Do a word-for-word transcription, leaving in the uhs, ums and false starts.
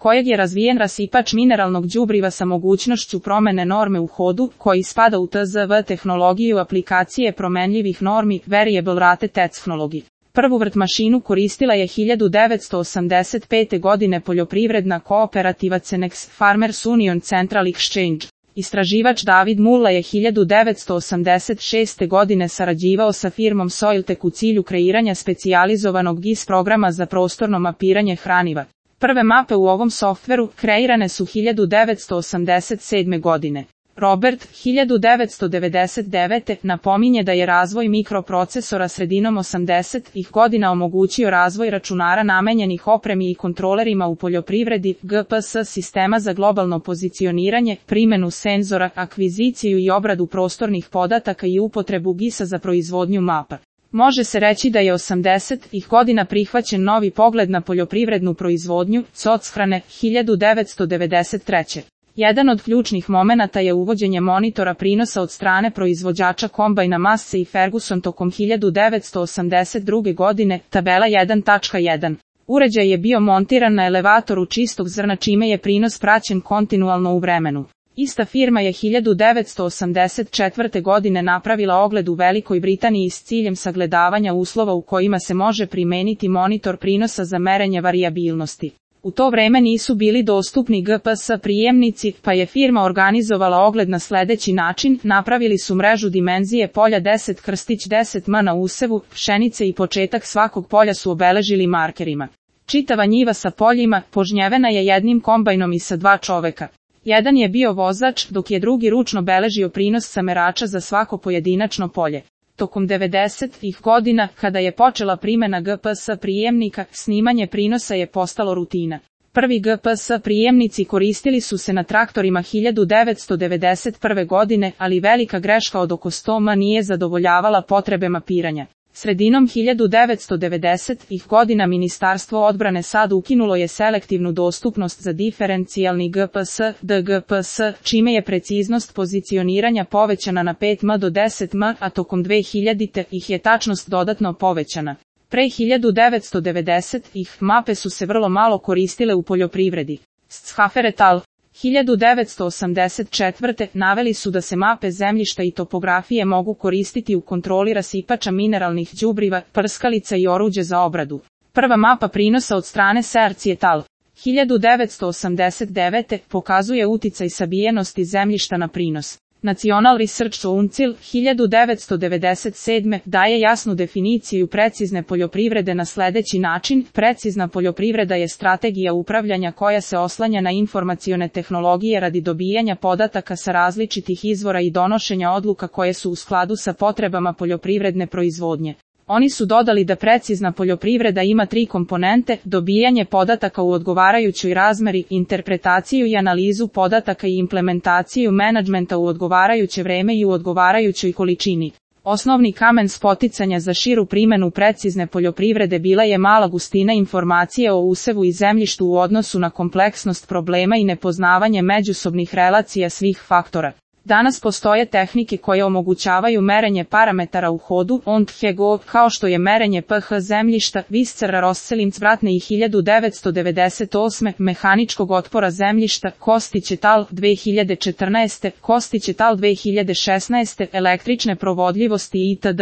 kojeg je razvijen rasipač mineralnog đubriva sa mogućnošću promene norme u hodu, koji spada u T Z V tehnologiju aplikacije promenljivih normi, Variable Rate Technology. Prvu vrtmašinu koristila je hiljadu devetsto osamdeset pete. godine poljoprivredna kooperativa Cenex Farmers Union Central Exchange. Istraživač David Mulla je hiljadu devetsto osamdeset šeste. godine sarađivao sa firmom Soiltech u cilju kreiranja specijalizovanog G I S programa za prostorno mapiranje hraniva. Prve mape u ovom softveru kreirane su hiljadu devetsto osamdeset sedme. godine. Robert, hiljadu devetsto devedeset devete. napominje da je razvoj mikroprocesora sredinom osamdesetih godina omogućio razvoj računara namenjenih opremi i kontrolerima u poljoprivredi, G P S sistema za globalno pozicioniranje, primjenu senzora, akviziciju i obradu prostornih podataka i upotrebu G I S-a za proizvodnju mapa. Može se reći da je osamdesetih godina prihvaćen novi pogled na poljoprivrednu proizvodnju, sochrane, hiljadu devetsto devedeset treće. Jedan od ključnih momenata je uvođenje monitora prinosa od strane proizvođača kombajna Massey i Ferguson tokom hiljadu devetsto osamdeset druge. godine, tabela jedan tačka jedan. Uređaj je bio montiran na elevatoru čistog zrna čime je prinos praćen kontinualno u vremenu. Ista firma je hiljadu devetsto osamdeset četvrte. godine napravila ogled u Velikoj Britaniji s ciljem sagledavanja uslova u kojima se može primeniti monitor prinosa za merenje varijabilnosti. U to vreme nisu bili dostupni G P S prijemnici, pa je firma organizovala ogled na sljedeći način, napravili su mrežu dimenzije polja deset krstić deset m na usevu, pšenice i početak svakog polja su obeležili markerima. Čitava njiva sa poljima, požnjevena je jednim kombajnom i sa dva čoveka. Jedan je bio vozač, dok je drugi ručno beležio prinos sa merača za svako pojedinačno polje. Tokom devedesetih godina, kada je počela primjena G P S prijemnika, snimanje prinosa je postalo rutina. Prvi G P S prijemnici koristili su se na traktorima hiljadu devetsto devedeset prve. godine, ali velika greška od oko sto m nije zadovoljavala potrebe mapiranja. Sredinom hiljadu devetsto devedesetih godina Ministarstvo odbrane SAD ukinulo je selektivnu dostupnost za diferencijalni G P S, D G P S, čime je preciznost pozicioniranja povećana na pet m do deset m, a tokom dvehiljaditih je tačnost dodatno povećana. Pre hiljadu devetsto devedesetih mape su se vrlo malo koristile u poljoprivredi. Schafer et al. hiljadu devetsto osamdeset četvrte. naveli su da se mape zemljišta i topografije mogu koristiti u kontroli rasipača mineralnih đubriva, prskalica i oruđe za obradu. Prva mapa prinosa od strane Searcy et al. hiljadu devetsto osamdeset devete. pokazuje uticaj sabijenosti zemljišta na prinos. National Research Council, hiljadu devetsto devedeset sedme. daje jasnu definiciju precizne poljoprivrede na sljedeći način. Precizna poljoprivreda je strategija upravljanja koja se oslanja na informacione tehnologije radi dobijanja podataka sa različitih izvora i donošenja odluka koje su u skladu sa potrebama poljoprivredne proizvodnje. Oni su dodali da precizna poljoprivreda ima tri komponente: dobijanje podataka u odgovarajućoj razmeri, interpretaciju i analizu podataka i implementaciju menadžmenta u odgovarajuće vreme i u odgovarajućoj količini. Osnovni kamen spoticanja za širu primjenu precizne poljoprivrede bila je mala gustina informacije o usevu i zemljištu u odnosu na kompleksnost problema i nepoznavanje međusobnih relacija svih faktora. Danas postoje tehnike koje omogućavaju merenje parametara u hodu, on Hego, kao što je merenje pH zemljišta, Viscera Rosselinc-Vratne i hiljadu devetsto devedeset osme. mehaničkog otpora zemljišta, Kostić et al. dve hiljade četrnaeste. Kostić et al. dve hiljade šesnaeste. električne provodljivosti itd.